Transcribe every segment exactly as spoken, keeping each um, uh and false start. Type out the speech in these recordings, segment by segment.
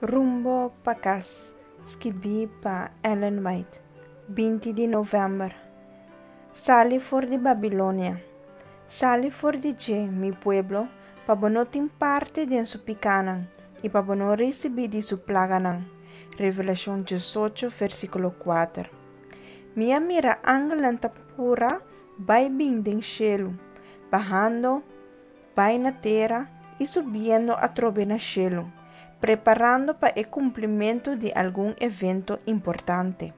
Rumbo pa Kas, skibí pa Ellen White, binti di novèmber. Sali for di Babilonia. Sali for di dje, mi pueblo, pa bo no tin parti den su pikánan i pa bo no risibí di su plaganan. Revelashon diesocho, versíkulo kuater. Mi a mira angelnan ta pura bai bin den shelu, bahando bai na tera i subiendo atrobe na shelu, preparando pa e kumplimentu di algun evento importante.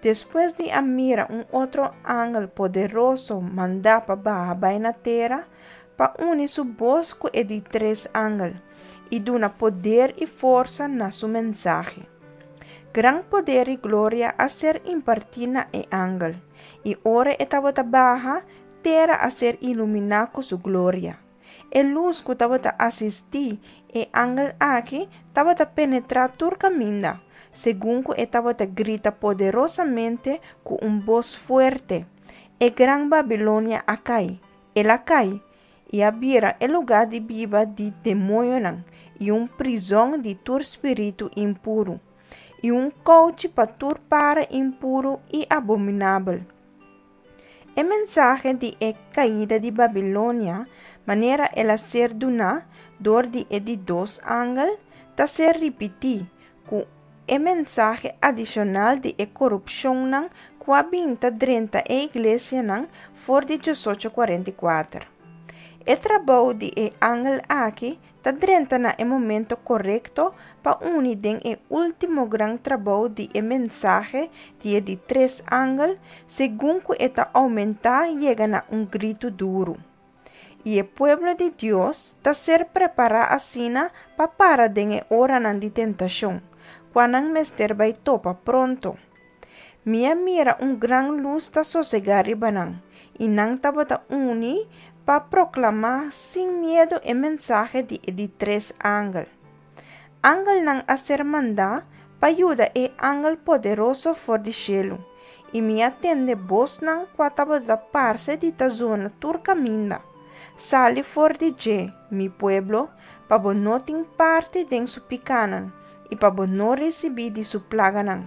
Despues di a mira un otro angel poderoso mandá pa baha bai na tera, pa uni su bos ku e di tres angel i duna poder i forsa na su mensahe. Gran poder i gloria a ser impartí na e angel, i ora e tabata baha, tera a ser iluminá ku su gloria. E lus ku tabata asistí e angel aki tabata penetrá tur kaminda, segun ku e tabata grita poderosamente ku un bos fuerte, E gran Babilonia a kai! El a kai! I a bira e lugá di biba di demoñonan i un prizòn di tur spiritu impuru, i un kouchi pa tur para impuru i abominabel. E mensahe di e kaida di Babilonia, manera el a ser duná dor di e di dos angel, ta ser ripití ku e mensahe adishonal di e korupshonnan ku a bin ta drenta e iglesianan for di diesocho kuarenta i kuater. E trabou di e angel aki ta drenta na e momento korekto pa uni den e último gran trabou di e mensahe di e di tres angel segun ku e ta oumentá yega na un gritu duru. I e pueblo di Dios ta ser prepará asina pa para den e oranan di tentashon, kua nan mester bai topa pronto. Mi a mira un gran lus ta sosegá riba nan, i nan tabata uni pa proklamá sin miedu e mensahe di e di tres angel. Angelnan a ser mandá pa yuda e angel poderoso for di shelu, i mi a tende bosnan kua tabata parse di ta zona tur kaminda, Sali for di dje, mi pueblo, pa bo no tin parti den su pikánan i pa bo no risibí di su plaganan.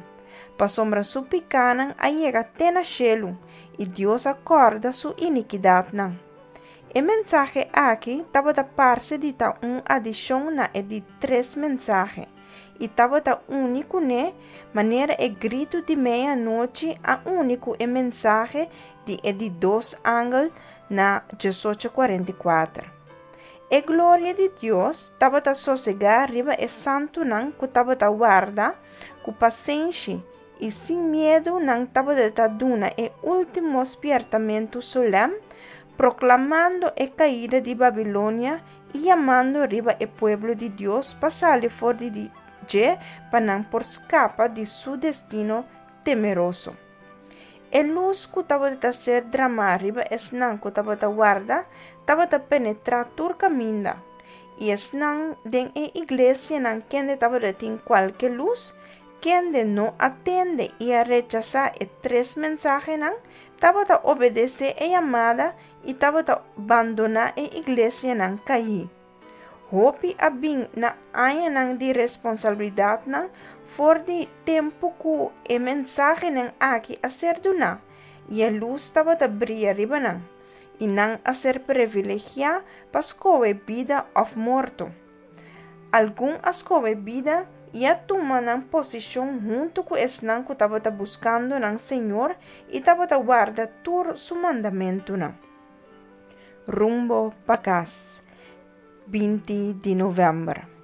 Pasobra su pikánan a yega te na shelu, i Dios a kòrda su inikidatnan. E mensahe aki tabata parse di ta un adishon na e di tres mensahe, i tabata uni kuné manera e gritu di meianochi a uni ku e mensahe di e di dos angel na diesocho kuarenta i kuater. E gloria di Dios tabata sosegá riba e santunan ku tabata warda ku pasenshi i sin miedu nan tabata duna e último spièrtamentu solèm, proklamando e kaida di Babilonia i yamando riba e pueblo di Dios pa sali for di dje pa nan por skapa di su destino temeroso. E lus ku tabata ser dramá riba esnan ku tabata warda tabata penetrá tur kaminda, i esnan den e iglesianan kende tabatin kualke lus, kende no a tende i a rechasá e tres mensahenan, tabata obedesé e yamada i tabata bandoná e iglesianan kaí. Hopi a bin na añanan di responsabilidatnan for di tempu ku e mensahenan aki a ser duná, i e lus tabata bria riba nan, i nan a ser privilegiá pa skohe bida òf morto. Algun a skohe bida i a tuma nan posishon huntu ku esnan ku tabata buskando nan Señor i tabata warda tur su mandamentunan. Rumbo pa kas, binti di novèmber.